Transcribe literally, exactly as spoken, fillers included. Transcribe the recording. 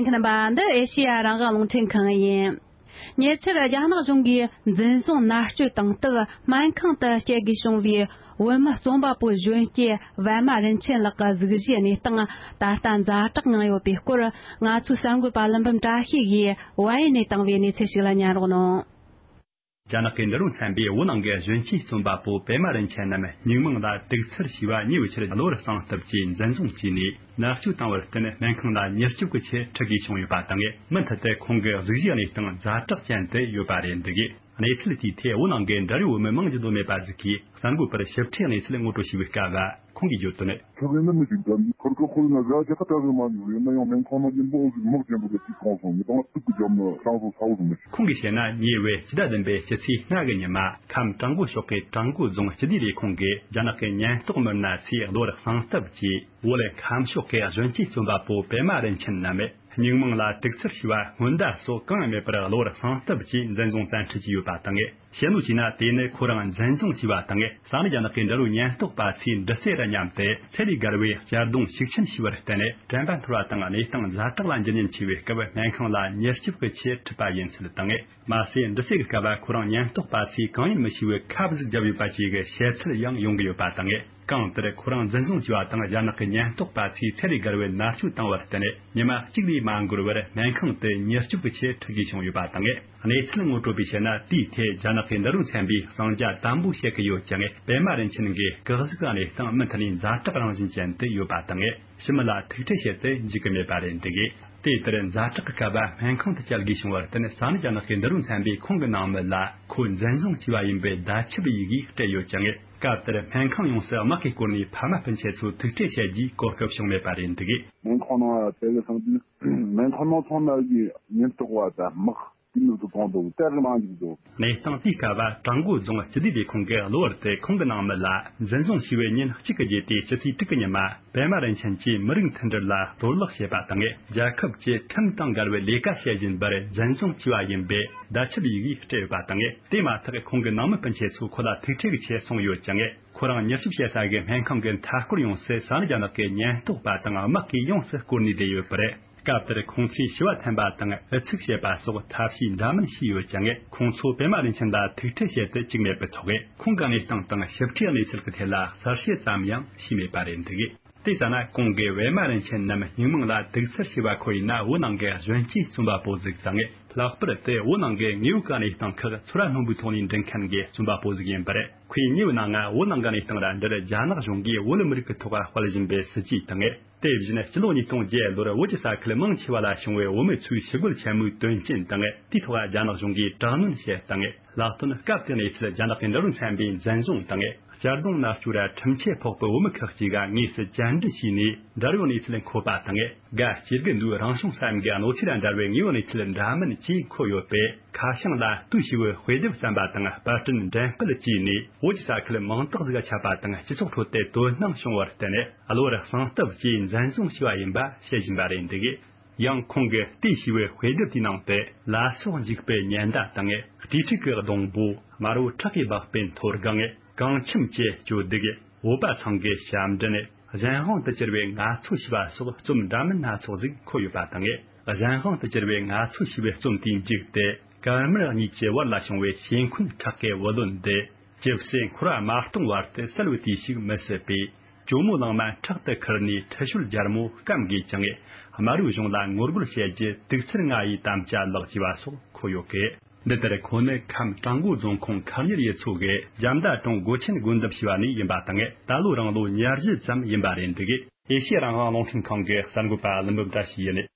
ཁྱེད་རྣམ་པ། འདི་ཨེ་ཤེ་ཡ་རང་དབང་རླུང་འཕྲིན་ཁང་ཡིན། ཉེ་ཆར་རྒྱ་ནག་གཞུང་གིས་འཛིན་བཟུང་མནར་གཅོད་བཏང་སྟབས་སྨན་ཁང་དུ་སྐྱེལ་དགོས་བྱུང་བའི་བོད་མི་རྩོམ་པ་པོ་གཞོན་སྐྱེས་པད་མ་རིན་ཆེན་ལགས་ཀྱི་གཟུགས་གཞིའི་གནས་སྟངས་ད་ལྟ་ཛ་དྲག་ངང་ཡོད་པའི་སྐོར། ང་ཚོའི་གསར་འགོད་པ་ཀླུ་འབུམ་བཀྲ་ཤིས་ཀྱིས་ཝཱ་ཡེ་ནས་བཏང་བའི་གནས་ཚུལ་ཞིག་ལ་ཉན་རོགས་གནང་། རྒྱ་ནག་གི་འབྲི་རུ་ཚན་པས་བོད་ནང་གི་གཞོན་སྐྱེས་རྩོམ་པ་པོ་པད་མ་རིན་ཆེན་ནམ་སྙིང་མིང་ལ་དུག་ཚེར་ཞེས་པ་ཉེ་བའི་ཆར་གློ་བུར་གསང་སྟབས་ཀྱིས་འཛིན་བཟུང་བྱས་ནས་མནར་གཅོད་བཏང་བར་བརྟེན། སྨན་ཁང་ལ་མྱུར་སྐྱོབ་ཀྱི་ཆེད་ཁྲིད་དགོས་བྱུང་ཡོད་པ་དང་། མུ་མཐུད་དུ་ཁོང་གི་གཟུགས་གཞིའི་གནས་སྟངས་ཛ་དྲག་ཅན་དུ་ཡོད་པ་རེད་འདུག་གནས་ཚུལ་དེའི་ཐད་བོད་ནང་གི་འབྲེལ་ཡོད་བོད་མི་མང་ཆེ་བ་མེད་པ་ཟིག་གིས་གསར་འགོད་པར་ཞིབ་ཕྲའི་གནས་ཚུལ་ངོ་སྤྲོད་བྱས་པའི་སྐབས། ཁོང་གིས་བརྗོད་དོན། ཁྱོད་ཀྱིས་ནི་མི་ཞིག་འདྲ་འདི་ཁུར་ཁུར་ཁུར་ན་ཟ་རྒྱ་ཁ་ཏ་ཟིག་མ་འཇུག་ཡིན་ན་ཡང་སྨན་ཁང་ནང་གི་འབུང་ཟིག་མག་ཅན་པོ་ལ་ཅིག་གང་སོང་མི་དང་དུག་གི་རྒྱབ་ནི་སང་སོ་ས་བོ་ཟིག་མི་ཤེས། ཁོང་གིས་བཤད་ན། ཉེ་བའི་སྤྱི་ཟླ་བདུན་པའི་སྤྱི་ཚེས་ལྔ་གི་ཉི་མ། ཁམས་བྲག་འགོ་ཕྱོགས་ཀྱི་བྲག་འགོ་རྫོང་སྤྱི་བདེ་ལས་ཁུངས་ཀྱིས་རྒྱ་ནག་གི་ཉེན་རྟོག་མི་སྣ་ཚོས་གློ་བུར་གསང་སྟབས་ཀྱིས་བོད་ཁམས་ཕྱོགས་ཀྱི་གཞོན་སྐྱེས་རྩོམ་པ་པོ་པད་མ་རིན་ཆེན་ནམ། སྙིང་མིང་ལ་དུག་ཚེར་ཞེས་པ་སྔོན་བརྡ་སོགས་གང་ཡང་མེད་པར་གློ་བུར་གསང་སྟབས་ཀྱིས་འཛིན་བཟུང་བཙན་ཁྲིད་བྱས་ཡོད་པ་དང་། བཤད་ནོ་བྱས་ན། དེ་ནི་ཁོ་རང་འཛིན་བཟུང་བྱས་པ་དང་། ས་གནས་རྒྱ་ནག་གི་འབྲེལ་ཡོད་ཉེན་རྟོག་པ་ཚོས་འདྲི་རྩད་ར་མཉམ་དུ་ཚད་ལས་བརྒལ་བའི་གཅར་རྡུང་ཤུགས་ཆེན་བྱས་པར་བརྟེན། དྲན་པ་འཐོར་བ་དང་གནས་སྟངས་ཛ་དྲག་ལ་འགྱུར་ཉེན་ཆེ་བའི་སྐབས་སྨན་ཁང་ལ་མྱུར་སྐྱོབ་ཀྱི་ཆེད་ཁྲིད་པ་ཡིན་ཚུལ་དང་། མ་ཟད་འདྲི་རྩད་ཀྱི་སྐབས་ཁོ་རང་ཉེན་རྟོག་པ་ཚོས་གང་ཡིན་མི་ཤེས་པའི་ཁབ་ཟིག་བརྒྱབ་ཡོད་པ་བཅས་ཀྱི་བཤད་ཚུལ་ཡང་ཡོང་གི་ཡོད་པ་དང་། གང་ལྟར་ཁོ་རང་འཛིན་བཟུང་བྱས་པ་དང་རྒྱ་ནག་གི་ཉེན་རྟོག་པ་ཚོས་ཚད་ལས་བརྒལ་བའི་མནར་གཅོད་བཏང་བར་བརྟེན། ཉི་མ་གཅིག་ལས་མ་འགོར་བར་སྨན་ཁང་དུ་མྱུར་སྐྱོབ་ཀྱི་ཆེད་ཁྲིད་དགོས་བྱུང་ཡོད་པ་དང་། གནས་ཚུལ་ངོ་སྤྲོད་པས་བཤད་ན། དེའི་ཐད་རྒྱ་ནག་གི་འབྲི་རུ་ཚན་པས་གསང་རྒྱ་དམ་པོ་བཤད་ཀྱི་ཡོད་ཀྱང་། པད་མ་རིན་ཆེན་གྱི་སྐུ་གཟུགས་གནས་སྟངས་མུ་མཐུད་ནས་ཛ་དྲག་རང་བཞིན་ཅན་དུ་ཡོད་པ་དང་། ཕྱི་མི་ལ་ཐུག་འཕྲད་བྱེད་དུ་འཇུག་གི་མེད་པ་རེད་འདུག་དེ་ལྟར་ཛ་དྲག་གི་སྐབས་སྨན་ཁང་དུ་བསྐྱལ་དགོས་བྱུང་བར་བརྟེན། ས་གནས་རྒྱ་ནག་གི་འབྲི་རུ་ཚན་པས་ཁོང་གི་ནང་མི་ལ་ཁོ་འཛིན་བཟུང་བྱས་པ་ཡིན་པའི་བརྡ་ཁྱབ་ཡི་གེ་སྤྲད་ཡོད་ཀྱང་། སྐབས་དེར་སྨན་ཁང་ཡོངས་སུ་དམག་གིས་བསྐོར་ནས་ཕ་མ་སྤུན་མཆེད་ཚོ་ཐུག་འཕྲད་བྱེད་རྒྱུའི་གོ་སྐབས་བྱུང་མེད་པ་རེད་འདུག་སྨན་ཁང་ནང་དེ་གི་སང་དུས་སྨན་ཁང་ནང་ཚང་མ་གི་ཉེན་རྟོག་པ་དང་དམག་དེ་མི་ཚོ་གང་འདུག་དེ་གི་མང་ཞིག་འདུག་གནས་སྟངས་དེའི་སྐབས་བྲག་འགོ་རྫོང་སྤྱི་བདེ་ལས་ཁུངས་ཀྱིས་གློ་བུར་དུ་ཁོང་གི་ནང་མི་ལ་འཛིན་བཟུང་བྱས་པའི་ཉིན་གཅིག་གི་རྗེས་ཏེ་སྤྱི་ཚེས་དྲུག་གི་ཉི་མ། པད་མ་རིན་ཆེན་གྱིས་མི་རིགས་མཐུན་སྒྲིལ་ལ་གཏོར་བརླག་བྱས་པ་དང་། རྒྱལ་ཁབ་ཀྱི་ཁྲིམས་དང་འགལ་བའི་ལས་ཀ་བྱེད་བཞིན་པར་འཛིན་བཟུང་བྱས་པ་ཡིན་པའི་བརྡ་ཁྱབ་ཡི་གེ་སྤྲད་ཡོད་པ་དང་། དེ་མ་ཐག་ཁོང་གི་ནང་མི་སྤུན་མཆེད་ཚོ་ཁོ་ལ་ཐུག་འཕྲད་ཀྱི་ཆེད་སོང་ཡོད་ཀྱང་། ཁོ་རང་མྱུར་སྐྱོབ་བྱེད་ས་གི་སྨན་ཁང་གི་མཐའ་སྐོར་ཡོངས་སུ་ས་གནས་རྒྱ་ནག་གི་ཉེན་རྟོག་པ་དང་དམག་གིས་ཡོངས་སུ་བསྐོར་ནས་བསྡད་ཡོད་པ་རེད། སྐབས་དེར་ཁོང་ཚོས་ཞུ་བ་འཐེན་པ་དང་། ཨུ་ཚུགས་བྱེད་པ་སོགས་ཐབས་ཤེས་འདྲ་མིན་བྱས་ཡོད་ཀྱང་། ཁོང་ཚོ་པད་མ་རིན་ཆེན་ལ་ཐུག་འཕྲད་བྱེད་དུ་བཅུག་མེད་པའི་ཐོག་ཁོང་གི་གནས་སྟངས་དང་ཞིབ་ཕྲའི་གནས་ཚུལ་གྱི་ཐད་ལ་གསལ་བཤད་ཙམ་ཡང་བྱས་མེད་པ་རེད་འདུག་དེ་ལྟ་ན། གོང་གི་པད་མ་རིན་ཆེན་ནམ་སྙིང་མིང་ལ་དུག་ཚེར་ཞེས་པ་ཁོ་ཡིན་ན། བོད་ནང་གི་གཞོན་སྐྱེས་རྩོམ་པ་པོ་ཟིག་དང་། ལྷག་པར་དུ་བོད་ནང་གི་དངོས་ཡོད་ཀྱི་གནས་སྟངས་ཁག་ཚོར་བ་རྣོན་པོའི་ཐོག་ནས་འབྲི་མཁན་གྱི་རྩོམ་པ་པོ་ཟིག་ཡིན་པ་རེད། ཁོས་ཉེ་བའི་ནང་ང་བོད་ནང་གི་གནས་སྟངས་ར་འདིར་རྒྱ་ནག་གཞུང་གིས་བོད་མི་རིགས་ཀྱི་ཐོག་དཔེ་བཞིན་པའི་སྲིད་ཇུས་དང་། དེ་བཞིན་སྤྱི་ལོ་ཉིས་སྟོང་བརྒྱད་ལོར་བོད་ཀྱི་ས་ཁུལ་མང་ཆེ་བ་ལ་བྱུང་བའི་བོད་མི་ཚོའི་ཞི་རྒོལ་ཆེན་མོའི་དོན་རྐྱེན་དང་། དེའི་ཐོག་རྒྱ་ནག་གཞུང་གིས་དྲག་གནོན་བྱས་སྟངས། ལྷག་དོན་སྐབས་དེ་གནས་ཚུལ་རྒྱ་ནག་གི་འབྲི་རུ་ཚན་པས་འཛིན་བཟུང་དང་། གཅར་རྡུང་མནར་གཅོད་ར་ཁྲིམས་ཆད་ཕོག་པའི་བོད་མི་ཁག་ཅིག་ག་དངོས་སུ་བཅར་འདྲི་བྱས་ནས་འབྲེལ་ཡོད་གནས་ཚུལ་འཁོད་པ་དང་། དགའ་སྐྱིད་དགུ་འདུག་རང་བྱུང་བསམ་གྱི་གནོད་འཚེ་ར་འབྲེལ་བའི་དངོས་ཡོད་གནས་ཚུལ་འདྲ་མིན་བཅས་འཁོད་ཡོད་པས། ཁ་བྱང་ལ་ལྟོས་ཞེས་པའི་དཔེ་དེབ་བརྩམས་པ་དང་པར་སྐྲུན་འགྲེམས་སྤེལ་བྱས་ནས། བོད་ཀྱི་ས་ཁུལ་མང་དག་ཟིག་ཁྱབ་པ་དང་། སྤྱི་ཚོགས་ཁྲོད་དུ་དོ་སྣང་བྱུང་བར་བརྟེན། གློ་བུར་གསང་སྟབས་ཀྱིས་འཛིན་བཟུང་བྱས་པ་ཡིན་པ་བཤད་བཞིན་པ་རེད་འདུག་ཡང་ཁོང་གིས་ལྟོས་ཞེས་པའི་དཔེ་དེབ་དེའི་ནང་དུ། ལ་སོགས་འཇིགས་པའི་ཉེན་བརྡ་དང་། དྲིལ་ཕྲུག་གི་སྡོང་པོ། དམར་པོ་ཁྲག་གིས་སྦགས་པའི་མཐོ་སྒང་། གངས་ཁྱིམ་གྱི་སྐྱོ་སྡུག། བོད་པ་ཚང་གི་ཞབས་འདྲེན། གཞན་དབང་དུ་གྱུར་པའི་ང་ཚོ་ཞེས་པ་སོགས་རྩོམ་འདྲ་མིན་སྣ་ཚོགས་ཤིག་འཁོད་ཡོད་པ་དང་། གཞན་དབང་དུ་གྱུར་པའི་ང་ཚོ་ཞེས་པའི་རྩོམ་དེའི་མཇུག་ཏུ། དཀར་དམར་གཉིས་ཀྱི་བར་ལ་བྱུང་བའི་ཤེས་འཁོན་ཁག་གི་བུ་ལོན་འདི། ཇི་སྲིད་འཁོར་བ་མ་སྟོངས་བར་དུ་སེལ་བའི་དུས་ཤིག་མི་སྲིད་པས། ཇོ་མོ་གླང་མ་ཕྲག་ཏུ་ཁུར་ནས་ཁྲི་ཤོད་རྒྱལ་མོ་སྐམ་དགོས་ཀྱང་། དམར་པོའི་གཞུང་ལ་ངོ་རྒོལ་བྱེད་རྒྱུ་དུག་ཚེར་ང་ཡི་དམ་བཅའ་ལགས་ཅེས་པ་སོགས་འཁོད་ཡོད་ཀི། འདི་ལྟར་ཁོ་ནི་ཁམས་བྲག་འགོ་རྫོང་ཁོངས་མཁར་གཉེར་ཡུལ་ཚོ་གི་རྒྱ་མདའ་གྲོང་སྒོ་ཆེན་དགོན་འདབས་ཞེས་པ་ནས་ཡིན་པ་དང་། ད་ལོ་རང་ལོ་ཉེར་བཞི་ཙམ་ཡིན་པ་རེད་འདུག་ཨེ་ཤེ་ཡ་རང་དབང་རླུང་འཕྲིན་ཁང་གི་གསར་འགོད་པ་ཀླུ་འབུམ་བཀྲ་ཤིས་ཡིན།